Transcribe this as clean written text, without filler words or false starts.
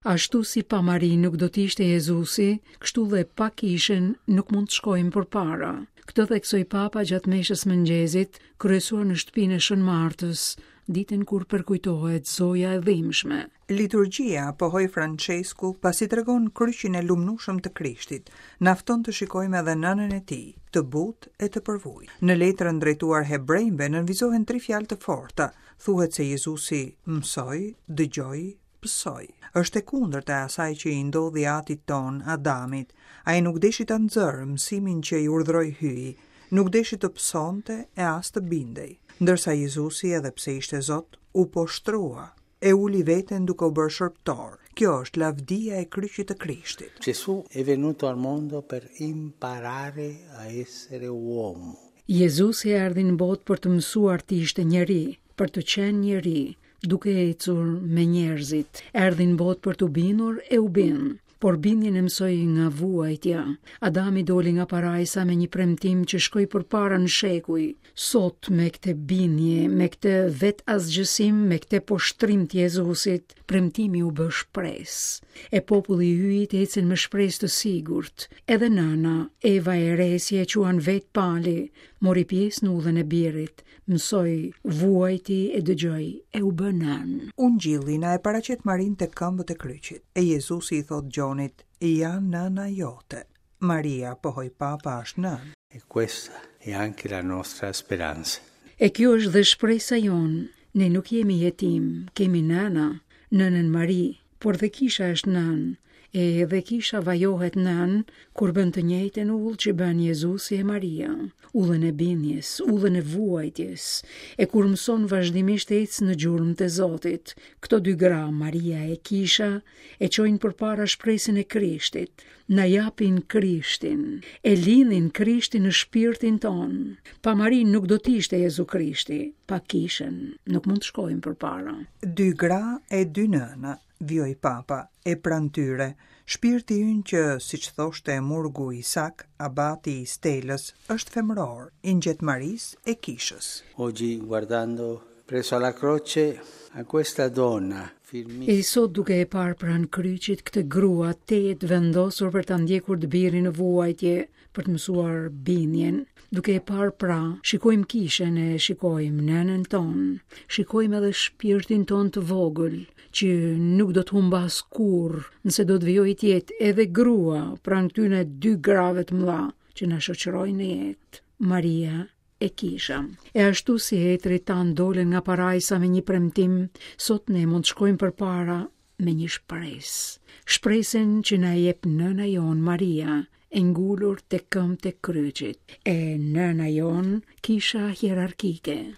Ashtu si pa Marinë nuk do të ishte Jezusi, kështu dhe pa kishën nuk mund të shkojmë përpara. Këtë theksoi Papa gjatë meshës së mëngjezit, kryesuar në shtëpinë e Shën Martës, ditën kur përkujtohet Zoja e Dhimbshme. Liturgjia, pohoi Françesku, pasi tregon kryqin e lumnushëm të Krishtit, na fton të shikojmë edhe nënën e tij, të butë e të përvujtur. Në letrën drejtuar hebrenjve nënvizohen tri fjalë të forta, thuhet se Jezusi mësoi, dëgjoi, pësoi. Është e kundërta e asaj që i ndodhi atit tonë, Adamit. Ai nuk deshi ta nxërë mësimin që i urdhëroi Hyji, nuk deshi të pësonte e as të bindej. Ndërsa Jezusi, edhe pse ishte Zot, u poshtërua, e uli veten duke u bërë shërbëtor. Kjo është lavdia e kryqit të Krishtit. Gesù è venuto al mondo per imparare a essere uomo. Jezusi erdhi në botë për të mësuar të ishte njeri, për të qenë njeri, duke ecur me njerëzit. Erdhi në botë për t'u bindur e u bind, por bindjen e mësoi nga vuajtja. Adami doli nga parajsa me një premtim që shkoi përpara në shekuj. Sot me këtë bindje, me këtë vetëasgjësim, me këtë poshtrim të Jezusit, premtimi u bë shpresë. E populli i Hyjit ecën me shpresë të sigurt. Edhe nëna, Eva e re, si e quan vetë Pali, mori pjesë në udhën e birit, Mësoi, vuajti e dëgjoi e u bë nënë. Ungjilli na e paraqet Marinë te këmbët e kryqit, e Jezusi i thotë Gjonit, Ja nëna jote. Maria, pohoi Papa, është nënë. E questa è anche la nostra speranza. E kjo është dhe shpresa jonë, ne nuk jemi jetimë, kemi nëna, nënën Mari, Por dhe kisha është nënë, e edhe kisha vajohet nënë kur bën të njëjtën udhë që bën Jezusi e Maria, udhën e bindjes, udhën e vuajtjes, e kur mëson vazhdimisht ecë në gjurmët e Zotit. Këto dy gra, Maria e Kisha, e çojnë përpara shpresën e Krishtit, na japin Krishtin, e lindin Krishtin në shpirtin tonë. Pa Marinë nuk do të ishte Jezu Krishti, pa Kishën nuk mund të shkojmë përpara. Dy gra e dy nëna, vijoi Papa, e pranë tyre, shpirti ynë që, siç thoshte murgu Isak, abati i Stelës, është femëror, i ngjet Marisë e Kishës. Oggi, guardando presso alla croce a questa donna E sot duke e parë pranë kryqit këtë grua tejet të vendosur për ta ndjekur të birin në vuajtje, për të mësuar bindjen, duke e parë pra, shikojmë kishën e shikojmë nënën tonë, shikojmë edhe shpirtin tonë të vogël, që nuk do të humbasë kurrë, nëse do të vijojë të jetë edhe grua pranë këtyre dy grave të mëdha që na shoqërojnë në jetë, Maria e Kisha. E ashtu si etërit tanë dolën nga parajsa me një premtim, sot ne mund të shkojmë përpara me një shpresë. Shpresën që na e jep nëna jonë Maria, e ngulur te këmbët e kryqit, e nëna jonë kisha hierarkike.